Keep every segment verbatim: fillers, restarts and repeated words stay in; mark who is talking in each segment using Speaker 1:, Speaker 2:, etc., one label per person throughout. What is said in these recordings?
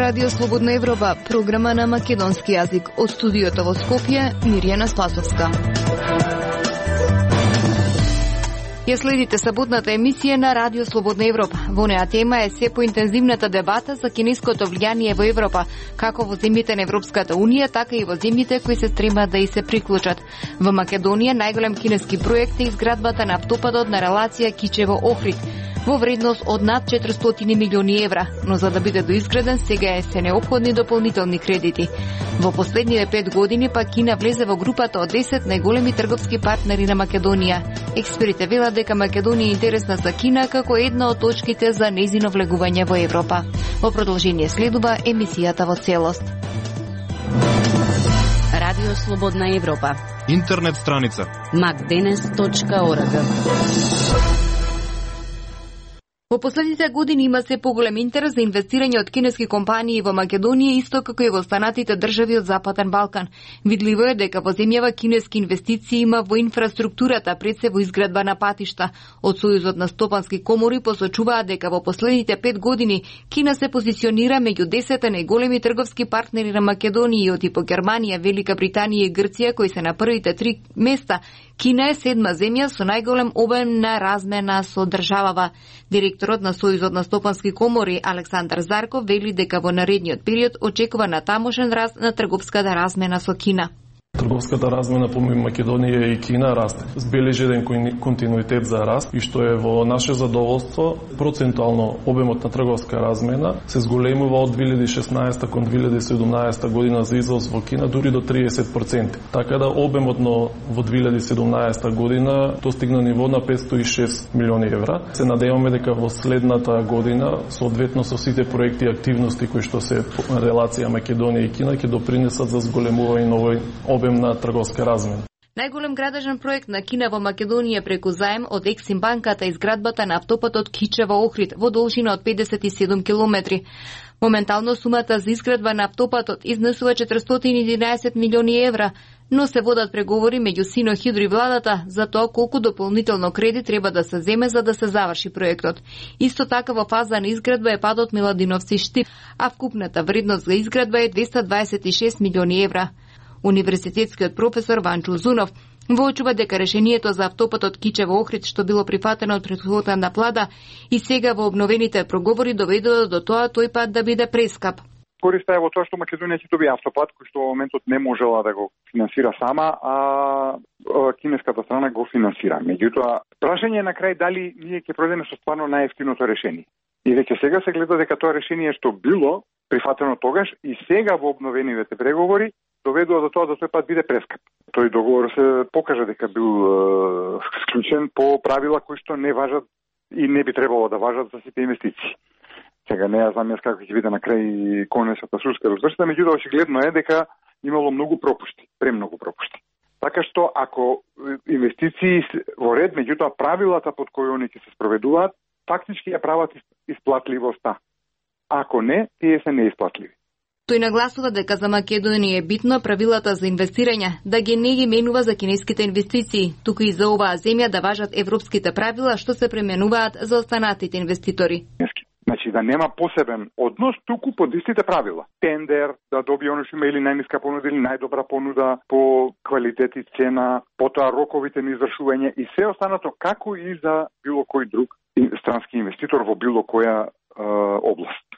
Speaker 1: Радио Слободна Европа, програма на македонски јазик. Од студиото во Скопје, Мирјана Спасовска. Ја следите саботната емисија на Радио Слободна Европа. Во неа тема е се поинтензивната дебата за кинеското влијание во Европа, како во земјите на Европската Унија, така и во земјите кои се стремат да и се приклучат. Во Македонија најголем кинески проект е изградбата на автопатот на релација Кичево-Охрид, во вредност од над четиристотини милиони евра, но за да биде доизграден сега е се неопходни дополнителни кредити. Во последниве пет години па Кина влезе во групата од десет најголеми трговски партнери на Македонија. Експертите велат дека Македонија е интересна за Кина како една од точките за нејзино влегување во Европа. Во продолжение следува емисијата во целост.
Speaker 2: Радио Слободна Европа.
Speaker 3: Интернет страница
Speaker 2: макденес точка орг.
Speaker 1: Во последните години има се поголем интерес за инвестирање од кинески компании во Македонија, исто како и во останатите држави од Западен Балкан. Видливо е дека во земјава кинески инвестиции има во инфраструктурата, пред се во изградба на патишта. Од Сојузот на стопански комори посочуваат дека во последните пет години Кина се позиционира меѓу десет најголеми трговски партнери на Македонија, од типо Германија, Велика Британија и Грција, кои се на првите три места. Кина е седма земја со најголем обем на размена со државава. Директорот на Сојузот на стопански комори Александар Зарков вели дека во наредниот период очекува натамошен раст на трговската размена со Кина.
Speaker 4: Трговската размена помеѓу Македонија и Кина расте. Збележи еден континуитет за раст и што е во наше задоволство, процентуално обемот на трговска размена се зголемува од две илјади и шеснаесета кон две илјади и седумнаесета година за извоз во Кина дури до триесет проценти. Така да обемот во две илјади и седумнаесета година достигна ниво на петстотини и шест милиони евра. Се надеваме дека во следната година, соодветно со сите проекти и активности кои што се релација Македонија и Кина, ќе допринесат за зголемување на овој обем на трговска размена.
Speaker 1: Најголем градежен проект на Кина во Македонија преку заем од Ексим банката е изградбата на автопатот Кичево-Охрид во должина од педесет и седум километри. Моментално сумата за изградба на автопатот изнесува четиристотини и единаесет милиони евра, но се водат преговори меѓу Синохидро и владата за тоа колку дополнително кредит треба да се земе за да се заврши проектот. Исто така во фаза на изградба е падот Миладиновци-Штип, а вкупната вредност за изградба е двеста дваесет и шест милиони евра. Универзитетскиот професор Ванчо Зунов воочува дека решението за автопатот Кичево-Охрид, што било прифатено од претходната влада и сега во обновените проговори доведува до тоа тој пат да биде прескап.
Speaker 5: Користа е во тоа што Македонија ќе добие автопат кој што во моментот не можела да го финансира сама, а кинеската страна го финансира. Меѓутоа, прашање на крај дали ние ќе пројдеме со стварно најевтиното решение. И веќе сега се гледа дека тоа решение што било прифатено тогаш и сега во обновените преговори доведува до тоа да тој пат биде прескап. Тој договор се покажа дека бил е, склучен по правила кои што не важат и не би требало да важат за сите инвестиции. Сега не ја знам јас како ќе биде на крај конечната судска развршена, меѓутоа очигледно е дека имало многу пропушти, премногу пропушти. Така што ако инвестиции во ред, меѓутоа правилата под кои они ќе се спроведуваат, фактички ја прават исплатливоста. Ако не, тие се неисплатливи.
Speaker 1: Тој нагласува дека за Македонија е битно правилата за инвестирање да ги не ги менува за кинеските инвестиции, туку и за оваа земја да важат европските правила што се пременуваат за останатите инвеститори.
Speaker 5: Значи да нема посебен однос, туку под истите правила. Тендер, да добие оно што има или најниска понуда или најдобра понуда по квалитет и цена, потоа роковите на извршување и се останато како и за било кој друг странски инвеститор во било која е, област.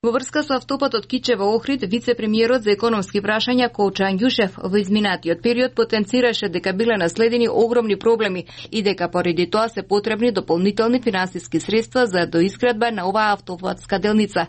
Speaker 1: Во врска со автопатот Кичево-Охрид, вице-премиерот за економски прашања Колчо Ангјушев во изминатиот период потенцираше дека биле наследени огромни проблеми и дека поради тоа се потребни дополнителни финансиски средства за доизградба на оваа автопатска делница.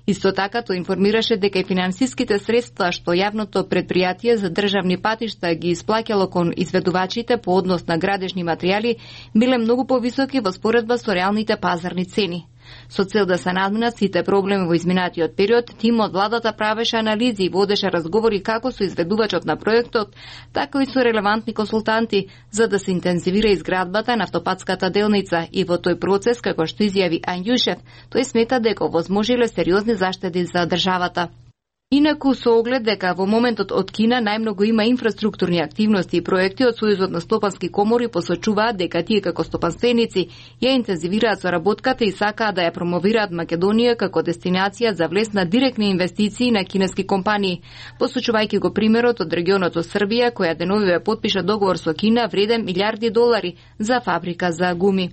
Speaker 1: Исто така тој информираше дека и финансиските средства што јавното предпријатие за државни патишта ги исплаќало кон изведувачите по однос на градежни материјали биле многу повисоки во споредба со реалните пазарни цени. Со цел да се надминат сите проблеми во изминатиот период, тимот владата правеше анализи и водеше разговори како со изведувачот на проектот, така и со релевантни консултанти, за да се интензивира изградбата на автопатската делница и во тој процес, како што изјави Ангјушев, тој смета дека овозможиле сериозни заштеди за државата. Инаку со оглед дека во моментот од Кина најмногу има инфраструктурни активности и проекти, од Сојузот на стопански комори посочуваат дека тие како стопанственици ја интензивираат соработката и сакаат да ја промовираат Македонија како дестинација за влез на директни инвестиции на кинески компании, посочувајќи го примерот од регионот од Србија, која деновиве потпиша договор со Кина вреден милиарди долари за фабрика за гуми.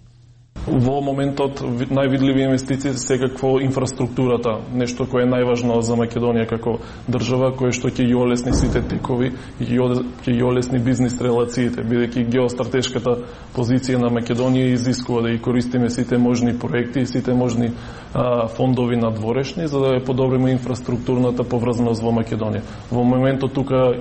Speaker 4: Во моментот највидливи инвестиции секакво инфраструктурата, нешто кое е најважно за Македонија како држава, кое што ќе ги олесни сите текови и ќе ги олесни бизнис релациите, бидејќи геостратешката позиција на Македонија изискува да ги користиме сите можни проекти и сите можни а, фондови надворешни за да ја подобриме инфраструктурната поврзаност во Македонија. Во моментот тука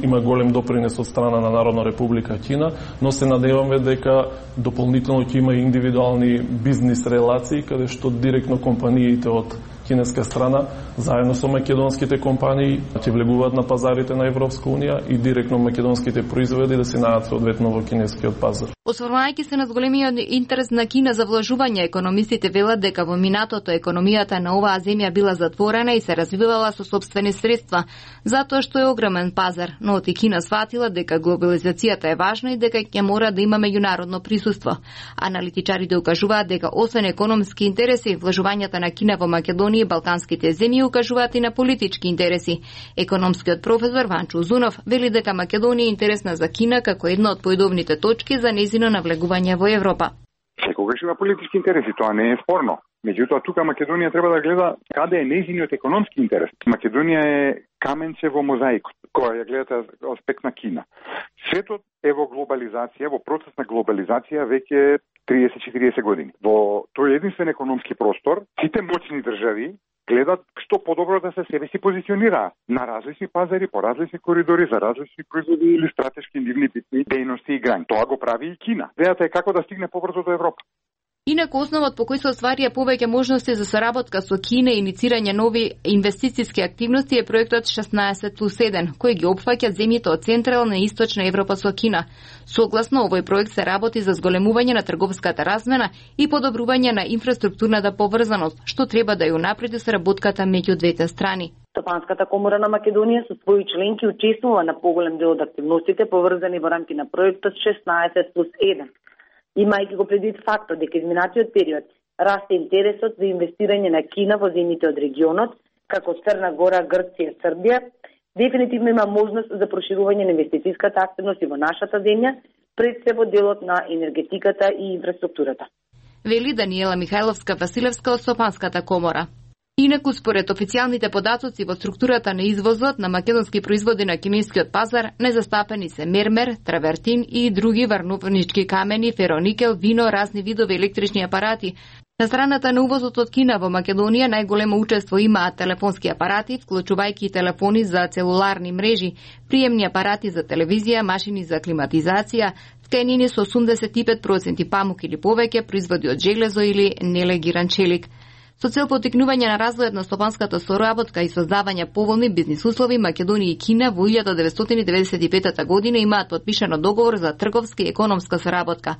Speaker 4: има голем допринес од страна на Народна република Кина, но се надеваме дека дополнително ќе има индивидуални бизнис релации каде што директно компаниите од кинеска страна заедно со македонските компании ќе влегуваат на пазарите на Европска унија и директно македонските производи да се најдат соодветно во кинескиот пазар.
Speaker 1: Осврнувајќи се на зголемиот интерес на Кина за вложување, економистите велат дека во минатото економијата на оваа земја била затворена и се развивала со сопствени средства, затоа што е огромен пазар, но и Кина сватила дека глобализацијата е важна и дека ќе мора да има меѓународно присуство. Аналитичарите укажуваат дека освен економски интереси, вложувањата на Кина во Македонија и балканските земји укажуваат и на политички интереси. Економскиот професор Ванчо Узунов вели дека Македонија е интересна за Кина како една од поидовните точки за нејзино навлегување во Европа.
Speaker 5: Секогаш има политички интереси, тоа не е спорно. Меѓутоа, тука Македонија треба да гледа каде е нејзиниот економски интерес. Македонија е каменче во мозаикот, која ја гледате аспект на Кина. Светот е во глобализација, во процес на глобализација веќе триесет до четириесет години. Во тој единствен економски простор, сите моćни држави гледат што подобро да се себе си позиционираат на различни пазари, по различни коридори, за различни производи или стратешки нивни битни дејности и грањи. Тоа го прави и Кина. Идејата е како да стигне побрзо до Европа.
Speaker 1: Инаку основот по кој се остварија повеќе можности за соработка со Кина и иницирање нови инвестициски активности е проектот шеснаесет плюс еден, кој ги опфаќа земјите од Централна и Источна Европа со Кина. Согласно овој проект се работи за зголемување на трговската размена и подобрување на инфраструктурната поврзаност, што треба да ја унапреди соработката меѓу двете страни.
Speaker 3: Стопанската комора на Македонија со своји членки учествува на поголем дел од активностите поврзани во рамки на проектот шеснаесет плюс еден. Имајќи го предвид фактот дека изминатиот период расте интересот за инвестирање на Кина во земјите од регионот, како Црна Гора, Грција, Србија, дефинитивно има можност за проширување на инвестицијската активност и во нашата земја, пред се во делот на енергетиката и инфраструктурата.
Speaker 1: Вели Даниела Михајловска-Василевска од Стопанската комора. Инаку, според официјалните податоци во структурата на извозот на македонски производи на кинескиот пазар, незастапени се мермер, травертин и други варновнички камени, фероникел, вино, разни видови електрични апарати. На страната на увозот од Кина во Македонија најголемо учество имаат телефонски апарати, вклучувајќи и телефони за целуларни мрежи, приемни апарати за телевизија, машини за климатизација, тканини со осумдесет и пет проценти памук или повеќе, производи од железо или нелегиран челик. Со цел потикнување на развојот на стопанската соработка и создавање поволни бизнис услови, Македонија и Кина во илјада деветстотини деведесет и петта година имаат подпишано договор за трговска и економска соработка.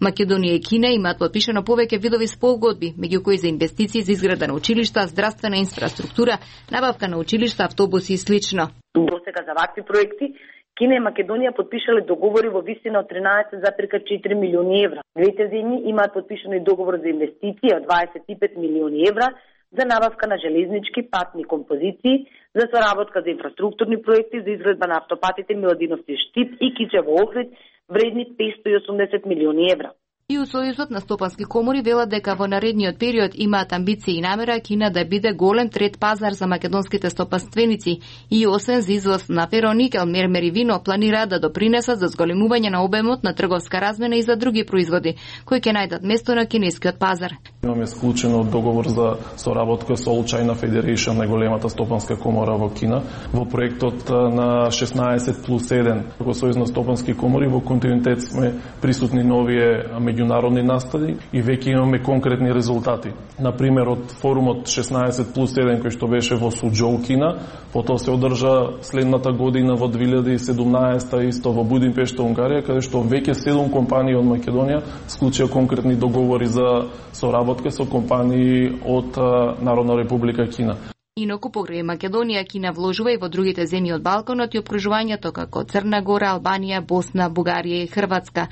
Speaker 1: Македонија и Кина имаат подпишано повеќе видови спогодби, меѓу кои за инвестиции за изграда на училишта, здравствена инфраструктура, набавка на училишта, автобуси и слично.
Speaker 3: Досега за вакви проекти Кина и Македонија подпишале договори во висина од тринаесет зарез четири милиони евра. Двете земји имаат подпишано и договор за инвестиции од дваесет и пет милиони евра за набавка на железнички патни композиции, за соработка за инфраструктурни проекти за изградба на автопатите Миладиновци Штип и Кичево Охрид, вредни петстотини и осумдесет милиони евра.
Speaker 1: И у Сојузот на стопански комори велат дека во наредниот период имаат амбиции и намера Кина да биде голем трет пазар за македонските стопанственици и освен за извоз на фероникел, мермер и вино, планираат да допринесат за зголемување на обемот на трговска размена и за други производи, кои ќе најдат место на кинескиот пазар.
Speaker 4: Имаме склучено договор за соработка со All China Federation, најголемата стопанска комора во Кина, во проектот на шеснаесет плюс еден во Сојуз на стопански комори. Во континуитет сме присутни на овие меѓународни настави и веќе имаме конкретни резултати. Например, од форумот шеснаесет плюс еден кој што беше во Суџоу, Кина, потоа се одржа следната година во две илјади и седумнаесета исто во Будимпешта, Унгарија, каде што веќе седум компании од Македонија склучија конкретни договори за соработка со компании од Народна република Кина.
Speaker 1: Инаку покрај Македонија, Кина вложува и во другите земји од Балканот и опкружувањето како Црна Гора, Албанија, Босна, Бугарија и Хрватска,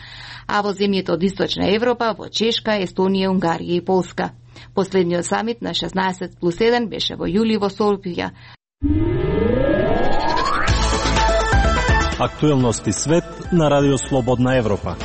Speaker 1: а во земјите од Источна Европа во Чешка, Естонија, Унгарија и Полска. Последниот самит на шеснаесет плюс еден беше во јули во Софија.
Speaker 6: Актуелности свет на Радио Слободна Европа.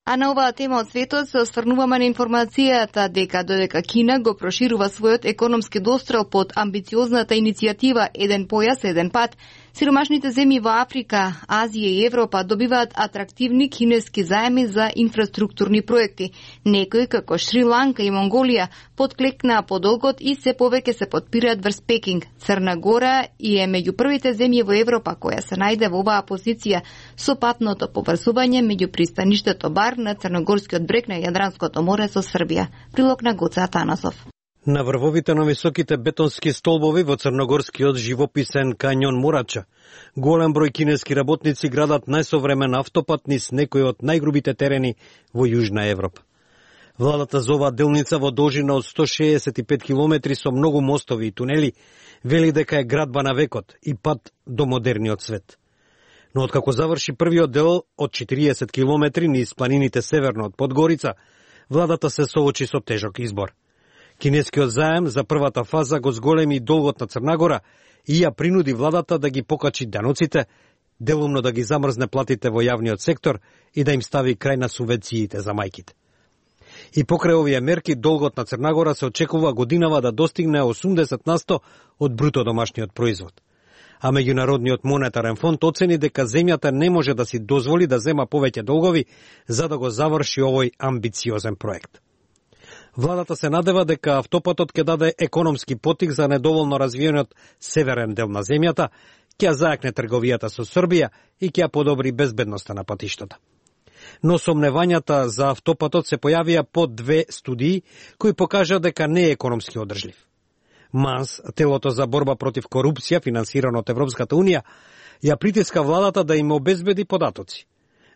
Speaker 1: А на оваа тема од светот се осврнуваме на информацијата дека додека Кина го проширува својот економски дострел под амбициозната иницијатива Еден појас, еден пат, сиромашните земји во Африка, Азија и Европа добиваат атрактивни кинески заеми за инфраструктурни проекти. Некои како Шри-Ланка и Монголија подклекнаа подолгот и се повеќе се подпираат врз Пекинг. Црна Гора и е меѓу првите земји во Европа која се најде во оваа позиција со патното поврзување меѓу пристаништето Бар на Црногорскиот брег на Јадранското море со Србија. Прилог на Гоце Атанасов.
Speaker 7: На врвовите на високите бетонски столбови во Црногорскиот живописен кањон Мурача, голем број кинески работници градат најсовремен автопат низ некои од најгрубите терени во Јужна Европа. Владата за оваа делница во должина од сто шеесет и пет километри со многу мостови и тунели вели дека е градба на векот и пат до модерниот свет. Но откако заврши првиот дел од четириесет километри низ планините северно од Подгорица, владата се соочи со тежок избор. Кинескиот заем за првата фаза го зголеми долгот на Црна Гора и ја принуди владата да ги покачи даноците, делумно да ги замрзне платите во јавниот сектор и да им стави крај на субвенциите за мајките. И покрај овие мерки, долгот на Црна Гора се очекува годинава да достигне осумдесет на сто од бруто домашниот производ. А Меѓународниот монетарен фонд оцени дека земјата не може да си дозволи да зема повеќе долгови за да го заврши овој амбициозен проект. Владата се надева дека автопатот ќе даде економски потик за недоволно развиениот северен дел на земјата, ќе зајакне трговијата со Србија и ќе подобри безбедноста на патиштата. Но сомневањата за автопатот се појавија по две студии кои покажа дека не е економски одржлив. МАНС, телото за борба против корупција, финансирано од Европската Унија, ја притиска владата да им обезбеди податоци.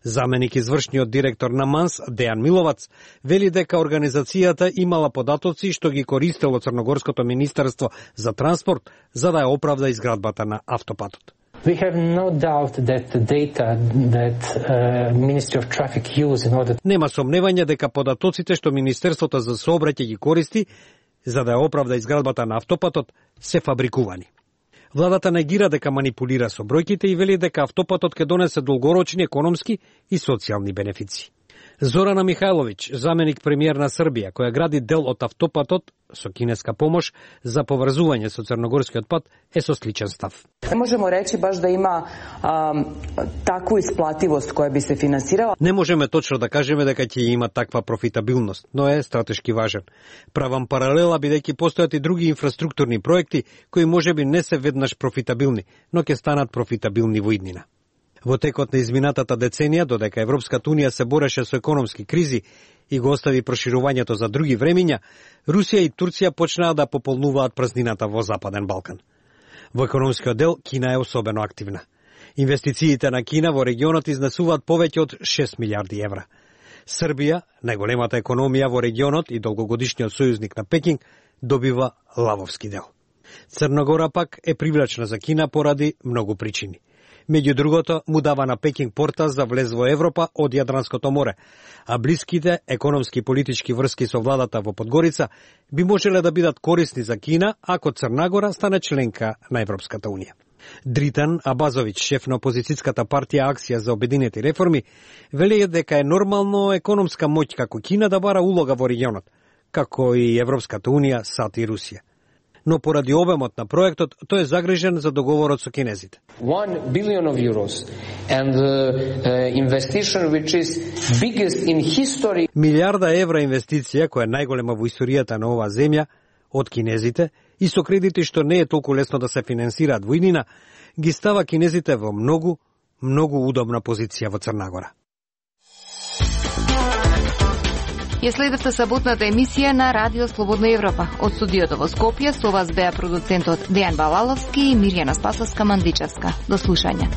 Speaker 7: Заменик извршниот директор на МАНС, Дејан Миловац, вели дека организацијата имала податоци што ги користело Црногорското министерство за транспорт за да ја оправда изградбата на автопатот.
Speaker 8: We have no doubt that the data that uh, Ministry of Traffic use in order...
Speaker 7: Нема сомневање дека податоците што Министерството за сообраќај ги користи за да ја оправда изградбата на автопатот се фабрикувани. Владата негира дека манипулира со бројките и вели дека автопатот ќе донесе долгорочни економски и социјални бенефиции. Зорана Михајловиќ, заменик премиер на Србија, која гради дел од автопатот со кинеска помош за поврзување со Црногорскиот пат, е со сличен став.
Speaker 9: Не можемо речи баш да има а, таква исплативост која би се финансирала.
Speaker 7: Не можеме точно да кажеме дека ќе има таква профитабилност, но е стратешки важен. Правам паралела бидејќи постојат и други инфраструктурни проекти кои можеби не се веднаш профитабилни, но ќе станат профитабилни во иднина. Во текот на изминатата деценија, додека Европската Унија се бореше со економски кризи и го остави проширувањето за други времиња, Русија и Турција почнаа да пополнуваат празнината во Западен Балкан. Во економскиот дел, Кина е особено активна. Инвестициите на Кина во регионот изнесуваат повеќе од шест милиарди евра. Србија, најголемата економија во регионот и долгогодишниот сојузник на Пекинг, добива лавовски дел. Црна Гора пак е привлечна за Кина поради многу причини. Меѓу другото, му дава на Пекинг порта за влез во Европа од Јадранското море, а блиските економски и политички врски со владата во Подгорица би можеле да бидат корисни за Кина ако Црна Гора стане членка на Европската Унија. Дритан Абазовиќ, шеф на опозицијската партија Акција за обединети реформи, вели дека е нормално економска моќ како Кина да бара улога во регионот, како и Европската Унија, САД и Русија. Но поради обемот на проектот, тој е загрижен за договорот со кинезите.
Speaker 8: one billion of euros and uh, uh, investigation which is biggest in history.
Speaker 7: Милиарда евра инвестиција, која е најголема во историјата на оваа земја, од кинезите, и со кредити што не е толку лесно да се финансираат во иднина, ги става кинезите во многу, многу удобна позиција во Црна Гора.
Speaker 1: Ја следевте саботната емисија на Радио Слободна Европа. Од студиото во Скопје со вас беа продуцентот Дејан Балаловски и Мирјана Спасовска-Мандичевска. До слушање.